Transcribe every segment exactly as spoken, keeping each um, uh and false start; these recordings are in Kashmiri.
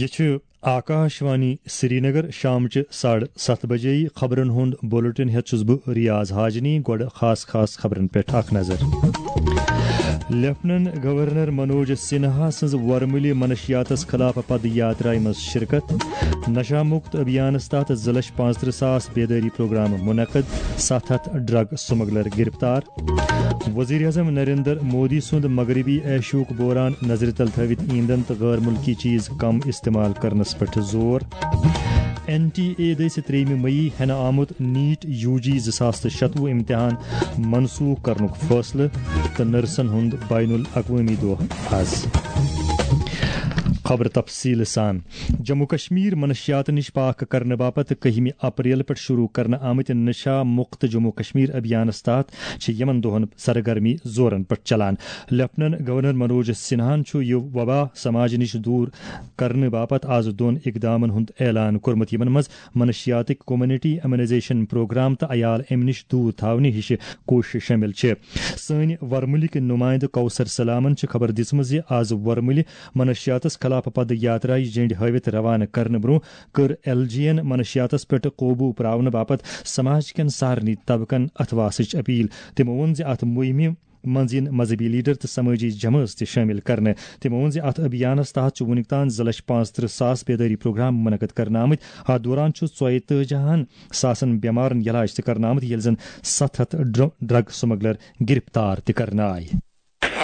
یہِ چھُ آکاش وانی سرینگر۔ شامچہِ ساڑٕ ستھ بجے خبرن ہُنٛد بُلٹن ہٮ۪تھ چھُس بہٕ ریاض حاجنی۔ گۄڈٕ خاص خاص خبرن پٮ۪ٹھ اکھ نظر۔ لیفٹننٹ گورنر منوج سنہا سٕنٛز ورمُلہِ منشیاتس خلاف پد یاترایہِ منٛز شرکت۔ نشہ مکت ابھیانس تحت زٕ لچھ پانٛژترٕہ ساس بیدٲری پروگرام منعقد۔ ستھ ہتھ ڈرگ سمگلر گرفتار۔ وزیر اعظم نریندر مودی سُنٛد مغربی ایشیاہُک بحران نظرِ تل تھٲوِتھ ایندھن تہٕ غٲر مُلکی چیز کم استعمال کرنس پٮ۪ٹھ زور۔ این ٹی اے دٔسۍ ترٛیٚیِمہِ مئی ہٮ۪نہٕ آمُت نیٹ یو جی زٕ ساس تہٕ شتوُہ امتحان منسوخ کرنُک فٲصلہٕ تہٕ نرسن ہُنٛد بین الاقوٲمی دۄہ آز۔ خبر تفصیل سان۔ جموں کشمیر منشیات نِش پاک کرنہٕ باپتھ کٔہمہِ اپریل پٮ۪ٹھ شروع کرنہٕ آمٕتۍ نشہ مکت جموں کشمیر ابھیانس تحت چھِ یِمن دۄہن سرگرمی زورن پٮ۪ٹھ چلان۔ لیفٹننٹ گورنر منوج سنہاہن چھُ یہِ وبا سماج نِش دوٗر کرنہٕ باپتھ آز دۄن اقدامن ہُنٛد اعلان کوٚرمُت، یِمن منٛز منشیاتٕکۍ کمیونٹی امیونائزیشن پروگرام تہٕ عیال امہِ نِش دوٗر تھاونہٕ ہِش کوٗشش شٲمِل چھِ۔ سٲنۍ ورمُلٕکۍ نُمایندٕ کوثر سلامن چھِ خبر دِژمٕژ زِ آز ورمُلہِ منشیاتس خلاف پد یاترایہِ جنڈ ہٲوِتھ روانہٕ کرنہٕ برونٛہہ کٔر ایل جی یَن منشیاتس پٮ۪ٹھ قوبوٗ پراونہٕ باپتھ سماج کٮ۪ن سارنٕے طبقن اتھواسٕچ اپیل۔ تِمو ووٚن زِ اتھ مُہِمہِ منٛز یِن مذہبی لیڈر تہٕ سمٲجی جمٲژ تہِ شٲمِل کرنہٕ۔ تِمو ووٚن زِ اتھ ابھیانس تحت چھُ وُنیُک تام زٕ لچھ پانٛژترٕہ ساس بیدٲری پروگرام منعقد کرنہٕ آمٕتۍ۔ اتھ دوران چھُ ژۄیہِ تٲجی ہن ساسن بٮ۪مارن علاج تہِ کرنہٕ آمُت، ییٚلہِ زن ستھ ہتھ ڈر-، ڈرگ سمگلر گرفتار تہِ کرنہٕ آیہِ۔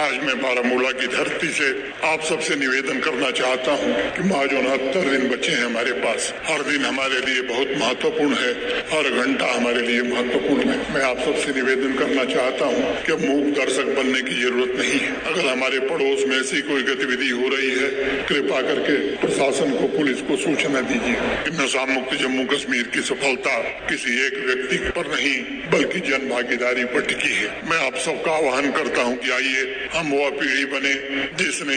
आज मैं बारामूला की धरती से आप सबसे निवेदन करना चाहता हूं कि आज उनहत्तर दिन बचे हैं हमारे पास। हर दिन हमारे लिए बहुत महत्वपूर्ण है, हर घंटा हमारे लिए महत्वपूर्ण है। मैं आप सबसे निवेदन करना चाहता हूं कि मूक दर्शक बनने की जरूरत नहीं है। अगर हमारे पड़ोस में ऐसी कोई गतिविधि हो रही है, कृपा करके प्रशासन को, पुलिस को सूचना दीजिए। नशा मुक्त जम्मू कश्मीर की सफलता किसी एक व्यक्ति पर नहीं, बल्कि जन भागीदारी पर टिकी है। मैं आप सबका आह्वान करता हूं कि आइए, हम वह पीढ़ी बने जिसने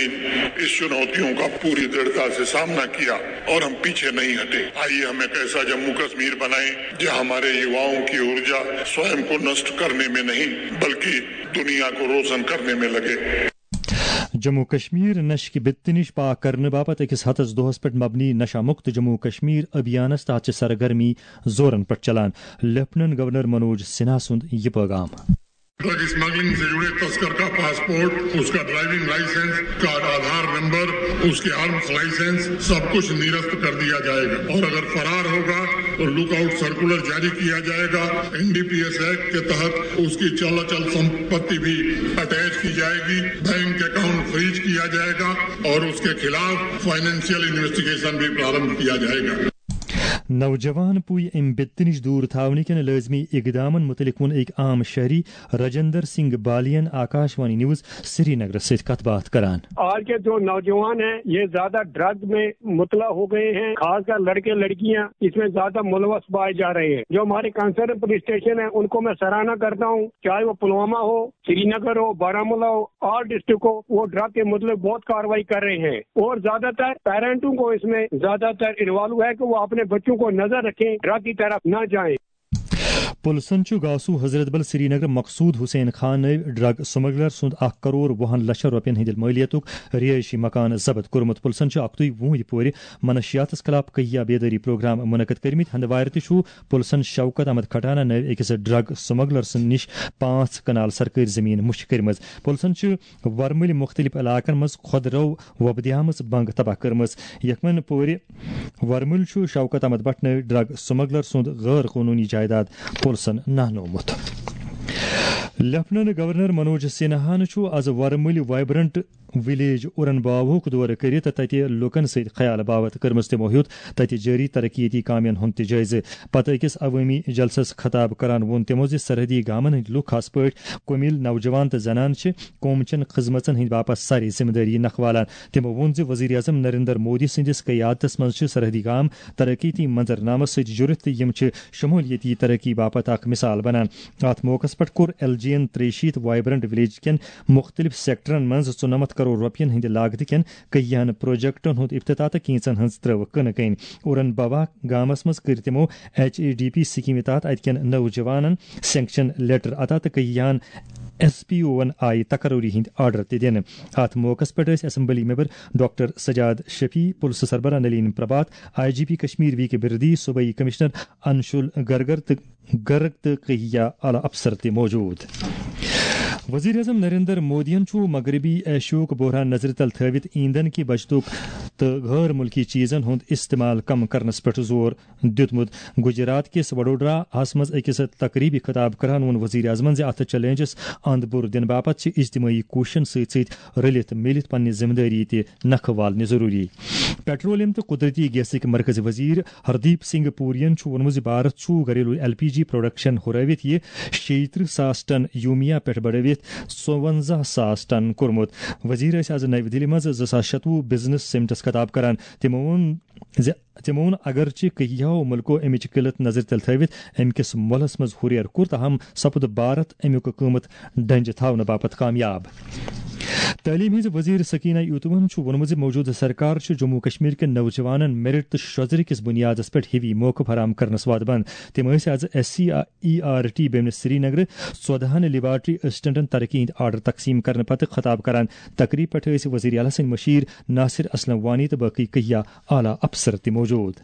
इस चुनौतियों का पूरी दृढ़ता से सामना किया और हम पीछे नहीं हटे। आइए, हम एक ऐसा जम्मू कश्मीर बनाएं, जो हमारे युवाओं की ऊर्जा स्वयं को नष्ट करने में नहीं, बल्कि दुनिया को रोशन करने में लगे। جموں کشمیر نشہٕ کہِ بِتہِ نِش پاک کرنہٕ باپتھ أکِس ہتس دۄہس پٮ۪ٹھ مبنی نشہ مکت جموں کشمیر ابھیانس تحت چھِ سرگرمی زورن پٮ۪ٹھ چلان۔ لیفٹننٹ گورنر منوج سنہا سُنٛد یہِ پیغام۔ ड्रग स्मगलिंग से जुड़े तस्कर का पासपोर्ट, उसका ड्राइविंग लाइसेंस, का आधार नंबर, उसके आर्म्स लाइसेंस, सब कुछ निरस्त कर दिया जाएगा। और अगर फरार होगा तो लुकआउट सर्कुलर जारी किया जाएगा। एनडीपीएस एक्ट के तहत उसकी चल अचल संपत्ति भी अटैच की जाएगी। बैंक अकाउंट फ्रीज किया जाएगा और उसके खिलाफ फाइनेंशियल इन्वेस्टिगेशन भी प्रारंभ किया जाएगा। نوجوان پُے امہِ بِتہِ نِش دوٗر تھاونہٕ کٮ۪ن لٲزمی اقدامن مُتعلق ووٚن أکۍ عام شہری رجندر سنگھ بالی ین آکاش وانی نیوز سری نگرس سۭتۍ کتھ باتھ کران۔ آج کے جو نوجوان ہیں، یہ زیادہ ڈرگ میں مبتلا ہو گئے ہیں، خاص کر لڑکے لڑکیاں اس میں زیادہ ملوث پائے جا رہے ہیں۔ جو ہمارے کنسرن پولیس اسٹیشن ہے، ان کو میں سراہنا کرتا ہوں، چاہے وہ پلوامہ ہو، سری نگر ہو، بارہ مولہ ہو، آل ڈسٹرکٹ ہو، وہ ڈرگ کے متعلق بہت کارروائی کر رہے ہیں اور زیادہ تر پیرنٹوں کو اس میں زیادہ تر انوالو ہے کہ وہ اپنے بچوں کو نظر رکھیں، ڈرگ کی طرف نہ جائیں۔ پُلسن چھُ گاسو حضرت بل سرینگر مقصود حسین خان نٲوۍ ڈرگ سمگلر سُنٛد اکھ کرور وُہن لچھن رۄپین ہٕنٛدِ مٲلیتُک رہٲیشی مکان ضبط کوٚرمُت۔ پُلسن چھُ اکتُے وُہٕرۍ پورِ منشیاتس خلاف کہیا بیدٲری پروگرام منعقد کٔرمٕتۍ۔ ہندوارِ تہِ چھُ پُلسن شوکت احمد کھٹانہ نٲوۍ أکِس ڈرگ سمگلر سٕنٛدِ نِش پانٛژھ کنال سرکٲرۍ زٔمیٖن مُشتہٕ کٔرمٕژ۔ پُلسن چھِ ورمُلہِ مُختٔلِف علاقن منٛز خۄدرو وۄپدیمٕژ بنٛگ تباہ کٔرمٕژ۔ یکمن پورِ ورمُل چھُ شوکت احمد بٹ نٲوۍ ڈرگ سمگلر سُنٛد غٲر قونوٗنی جائیداد پُلسن نہنومُت۔ لیفٹننٹ گورنر منوج سنہاہن چھُ از ورمُلہِ وائبرنٹ ولیج اورن باوہُک دورٕ کٔرِتھ تتہِ لوٗکن سۭتۍ خیال باوتھ کٔرمٕژ۔ تِمو ہیوٚت تتہِ جٲری ترقیتی کامین ہُنٛد تہِ جٲیزٕ۔ پتہٕ أکِس عوٲمی جلسس خطاب کران ووٚن تِمو زِ سرحدی گامن ہٕنٛدۍ لوٗکھ، خاص پٲٹھۍ کومِل نوجوان تہٕ زنانہٕ، چھِ قوم چٮ۪ن خدمژن ہٕنٛدۍ باپتھ سارے ذمہٕ دٲری نکھٕ والان۔ تِمو ووٚن زِ وزیر اعظم نریندر مودی سٕنٛدِس قیادتس منٛز چھِ سرحدی گام ترقیتی منظرنامس سۭتۍ جُڑِتھ تہٕ یِم چھِ شمولیتی ترقی باپتھ اکھ مثال بنان۔ اتھ موقعس پٮ۪ٹھ کوٚر ایل جی یَن ترٛیٚیہِ شیٖتھ وائبرنٹ ولیج کٮ۪ن مُختٔلِف سیکٹرن منٛز ژُنَمَتھ کرور رۄپین ہٕنٛدِ لاگتہٕ کٮ۪ن کٔہیاہن پروجیکٹن ہُنٛد افتتاح تہٕ کینٛژن ہٕنٛز ترٲو کٕنہٕ کٔنۍ۔ اورن بابا گامس منٛز کٔرۍ تِمو ایچ اے ڈی پی سکیمہِ تحت اتہِ کٮ۪ن نوجوانن سینکشن لیٹر عطا تہٕ کٔہیاہن ایس پی اوون آیہِ تقرری ہٕنٛدۍ آرڈر تہِ دِنہٕ۔ اتھ موقعس پٮ۪ٹھ ٲسۍ assembly member doctor Sajad Shafi, پُلسہٕ سربراہ Nalin Prabhat, I G P Kashmir V K Birdi, صوبٲئی کمشنر انشول گرگر تہٕ گرگ تہٕ کہیا اعلیٰ افسر تہِ موجود۔ وزیر اعظم نریندر مودیَن چھُ مغربی ایشیاہُک بحران نظرِ تل تھٲوِتھ ایندھن کہِ بچتُک تہٕ غٲر مُلکی چیزن ہُنٛد استعمال کم کرنس پٮ۪ٹھ زور دیُتمُت۔ گجرات کِس وڈودراہَس منٛز أکِس تقریبی خطاب کران ووٚن وزیر اعظمَن زِ اتھ چیلنجس اند بُر دِنہٕ باپتھ چھِ اجتماعی کوٗششن سۭتۍ سۭتۍ رٔلِتھ میٖلِتھ پننہِ ذمہٕ دٲری تہِ نکھٕ والنہِ ضروٗری۔ پیٹرولیم تہٕ قدرتی گیسٕکۍ مرکزی وزیر ہردیپ سنگھ پورین چھُ ووٚنمُت زِ بھارت چھُ گھریلو ایل پی جی پروڈکشن ہُرٲوِتھ یہِ شیٚیہِ ترٕٛہ ساس ٹن یومیہ پٮ۪ٹھ بڑٲوِتھ ژُوَنزاہ ساس ٹن کوٚرمُت۔ وزیر ٲسۍ از نَوِ دِلہِ منٛز زٕ ساس شَتوُہ بزنس سمٹس خطاب کران۔ تِمو ووٚن زِ تِمو ووٚن، اگرچہِ کینٛہو مُلکو امِچ قلت نظرِ تل تھٲوِتھ امہِ کِس مۄلس منٛز ہُریر کوٚر، تاہم سپُد بھارت امیُک قۭمت ڈنجہِ تھاونہٕ باپتھ کامیاب۔ تعلیم ہٕنٛز وزیر سکینہ ایوتوون چھُ ووٚنمُت زِ موجودٕ سرکار چھُ جموں کشمیر کٮ۪ن نوجوانن میرٹ تہٕ شۄژرِ کِس بُنیادس پٮ۪ٹھ ہِوی موقعہٕ فراہم کرنس وعدٕ بنٛد۔ تِم ٲسۍ از S C E R T بیمنہِ سرینگرٕ ژۄدہَن لیبارٹری اسسٹنٹن ترقی ہٕنٛدۍ آرڈر تقسیٖم کرنہٕ پتہٕ خطاب کران۔ تقریب پٮ۪ٹھ ٲسۍ وزیر اعلیٰ سٕنٛدۍ مشیر ناصر اسلم وانی تہٕ باقی کہیا اعلیٰ افسر تہِ موجود۔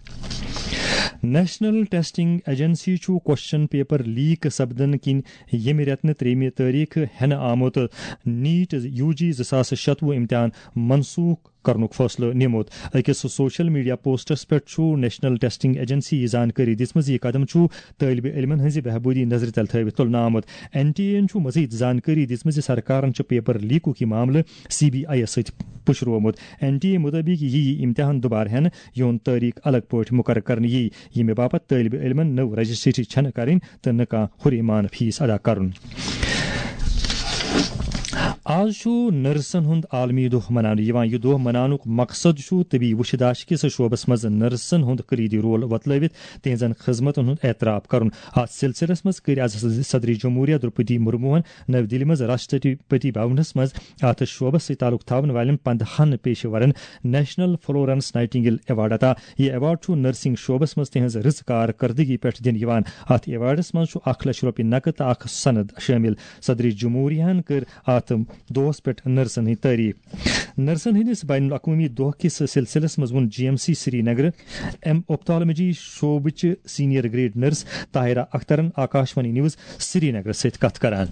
نیشنل ٹیسٹنگ ایجنسی چھُ کوسچن پیپر لیک سپدن کِنۍ ییٚمہِ رٮ۪تہٕ ترٛیٚیِمہِ تٲریخ ہٮ۪نہٕ آمُت نیٹ یو جی زٕ ساس شَتوُہ امتحان منسوخ کرنُک فٲصلہٕ نِمُت۔ أکِس سوشل میڈیا پوسٹس پٮ۪ٹھ چھُ نیشنل ٹیسٹنگ ایجنسی یہِ زانکٲری دِژمٕژ، یہِ قدم چھُ طٲلبہِ علمن ہٕنٛزِ بہبوٗدی نظرِ تل تھٲوِتھ تُلنہٕ آمُت۔ این ٹی اے یَن چھُ مزید زانکٲری دِژمٕژ زِ سرکارن چھُ پیپر لیکُک یہِ معاملہٕ سی بی آئی یَس سۭتۍ پُشروومُت۔ این ٹی اے مُطٲبِق یِیہِ یہِ امتحان دُبارٕ ہٮ۪نہٕ، یِہُنٛد تٲریخ الگ پٲٹھۍ مُقرر کرنہٕ یِیہِ، ییٚمہِ باپتھ طٲلبہِ علمن نٔو رجسٹری چھنہٕ کرٕنۍ تہٕ نہٕ کانٛہہ ہُرِ مانہٕ فیس ادا کرُن۔ آز چھُ نرسن ہُنٛد عالمی دۄہ مناونہٕ یِوان۔ یہِ دۄہ مناونُک مقصد چھُ طبی وُچھداشت کِس شعبس منٛز نرسن ہُنٛد کلیدی رول وۄتلٲوِتھ تِہنٛزن خدمتن ہُنٛد اعتراف کرُن۔ اتھ سلسلس منٛز کٔرۍ از صدر جمہوریہ درپدی مرموہن نَوِ دِلہِ منٛز راشٹرپتی بھونس منٛز اتھ شعبس سۭتۍ تعلق تھاون والٮ۪ن پندہَن پیشہٕ ورن نیشنل فلورنس نائٹنگیل ایوارڈ عطا۔ یہِ ایوارڈ چھُ نرسنگ شعبس منٛز تِہنٛز رٕژ کارکردگی پٮ۪ٹھ دِنہٕ یِوان۔ اتھ ایوارڈس منٛز چھُ اکھ لچھ رۄپیہِ نقد تہٕ اکھ سند شٲمِل۔ صدر جمہوریہ ہن کٔر اتھ دۄہس پٮ۪ٹھ نرسن ہٕنٛدۍ تعریف۔ نرسن ہٕنٛدِس بین الاقوٲمی دۄہ کِس سلسلس منٛز ووٚن جی ایم سی سرینگر ایم اوپتھالمجی شعبٕچ سینئر گریڈ نرس طاہرہ اخترن آکاشوانی نیوز سرینگرس سۭتۍ کتھ کران۔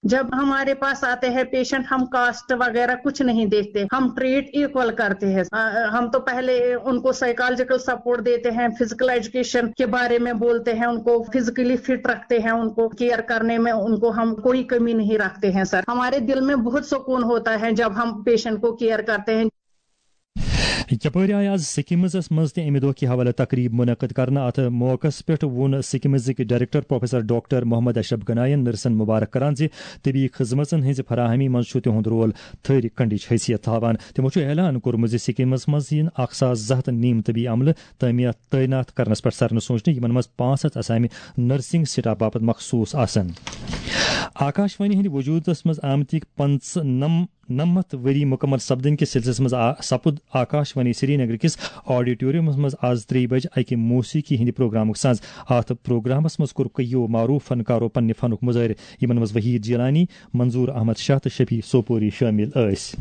جب ہمارے پاس آتے ہیں پیشنٹ، ہم کاسٹ وغیرہ کچھ نہیں دیکھتے، ہم ٹریٹ ایکول کرتے ہیں۔ آ، ہم تو پہلے ان کو سائیکالوجیکل سپورٹ دیتے ہیں، فزیکل ایجوکیشن کے بارے میں بولتے ہیں، ان کو فزیکلی فٹ رکھتے ہیں، ان کو کیئر کرنے میں ان کو ہم کوئی کمی نہیں رکھتے ہیں سر۔ ہمارے دل میں بہت سکون ہوتا ہے جب ہم پیشنٹ کو کیئر کرتے ہیں۔ یپٲرۍ آیہِ آز سکمزس منٛز تہِ امہِ دۄہ کہِ حوالہٕ تقریب منعقد کرنہٕ۔ اتھ موقعس پٮ۪ٹھ ووٚن سکمزٕکۍ ڈائریکٹر پروفیسر ڈاکٹر محمد اشرف گناین نرسن مبارک کران زِ طبی خدمژن ہٕنٛزِ فراہمی منٛز چھُ تِہُنٛد رول تھٔرۍ کنڈٕچ حیثیت تھاوان۔ تِمو چھُ اعلان کوٚرمُت زِ سکمس منٛز یِن اکھ ساس زٕ ہتھ نیم طبی عملہٕ تعمیرات تعینات کرنس پٮ۪ٹھ سرنہٕ سوچنہٕ، یِمن منٛز پانٛژھ ہتھ اسامہِ نرسنگ سٹاف باپتھ مخصوص آسن۔ آکاشوانی ہٕنٛدِ وجودس منٛز آمتِکۍ پنٛژنم نَمَتھ ؤری مُکمل سپدٕنۍ کِس سلسلس منٛز آ-، سپُد آکاش وانی سرینگر کِس آڈیٹورمس منٛز آز ترٛیٚیہِ بجہِ اکہِ موسیقی ہٕنٛدِ پروگرامُک ساز۔ اتھ پروگرامس منٛز کوٚر کٔیو معروف فنکارو پننہِ فنُک مظٲہرٕ، یِمن منٛز وحید جیلانی، منظور احمد شاہ تہٕ شفیع سوپوری شٲمِل ٲسۍ۔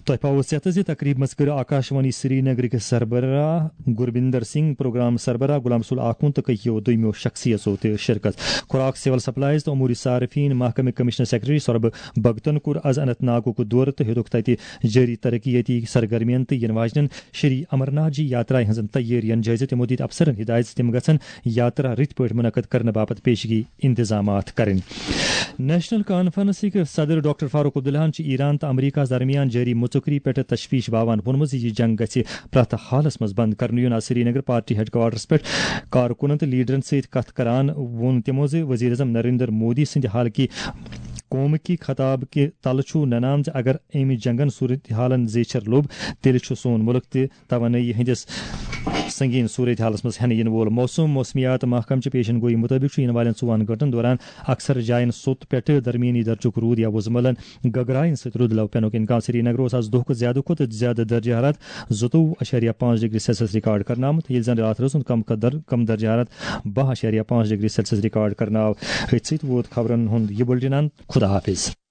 تۄہہِ پاوو ژیتہٕ زِ تقریب منٛز کٔر آکاشوانی سرینگرٕکۍ سربراہ گربندر سنگھ، پروگرام سربراہ غلام رسول آخوند تہٕ کٔکیو دوٚیمیو شخصیژو تہِ شرکت۔ خوراک، سول سپلائز تہٕ امور صارفین محکمہٕ کمشنر سیکرٹری سوربھ بھگتن کوٚر از اننت ناگُک دورٕ تہٕ ہیوٚتُکھ تتہِ جٲری ترقیتی سرگرمین تہٕ ینہٕ واجنٮ۪ن شری امرناتھ جی یاترایہِ ہٕنٛزن تیٲرین جٲیزٕ۔ تِمو دِتۍ افسرن ہدایت زِ تِم گژھن یاترا رٕتۍ پٲٹھۍ منعقد کرنہٕ باپتھ پیشگی انتظامات کرٕنۍ۔ نیشنل کانفرنسٕکۍ صدر ڈاکٹر فاروق عبداللہن چھِ ایران تہٕ امریکہس درمیان جٲری مُژُکری پٮ۪ٹھ تشویش باوان ووٚنمُت زِ یہِ جنگ گژھِ پرٛٮ۪تھ حالس منٛز بند کرنہٕ یُن۔ آز سرینگر پارٹی ہیڈ کوارٹرس پٮ۪ٹھ کارکُنن تہٕ لیڈرن سۭتۍ کتھ کران ووٚن تِمو زِ وزیر اعظم نریندر مودی سٕنٛدِ حالٕکۍ قومکی خطاب کہِ تلہٕ چھُ ننان زِ اگر امہِ جنگن صورتحالن زیچھر لوٚب، تیٚلہِ چھُ سون مُلک تہِ توانٲیی ہٕنٛدِس سنگین صورتحالس منٛز ہٮ۪نہٕ یِنہٕ وول۔ موسم موسمیات محکمہٕ چہِ پیشن گویی مُطٲبِق چھُ یِنہٕ والٮ۪ن ژوٚوُہن گٲنٛٹن دوران اکثر جاین سوٚت پٮ۪ٹھٕ درمیٲنی درجُک روٗد یا وُزملن گگرایَن سۭتۍ رُد لو پینُک امکان۔ سرینگرٕ اوس آز دۄہ کھۄتہٕ زیادٕ کھۄتہٕ زیادٕ درجہ حرارت زٕتووُہ اَشاریہ پانٛژھ ڈگری سیلسیس ریکارڈ کرنہٕ آمُت، ییٚلہِ زن راتھ رٲژ ہُنٛد کم کھۄتہٕ در-، کم درجہ حرارت باہ اَشاریہ پانٛژھ ڈگری سیلسیس ریکارڈ کرنہٕ آو۔ أتھۍ سۭتۍ ووت خبرن ہُنٛد یہِ بُلٹن اند۔ خدا حافظ۔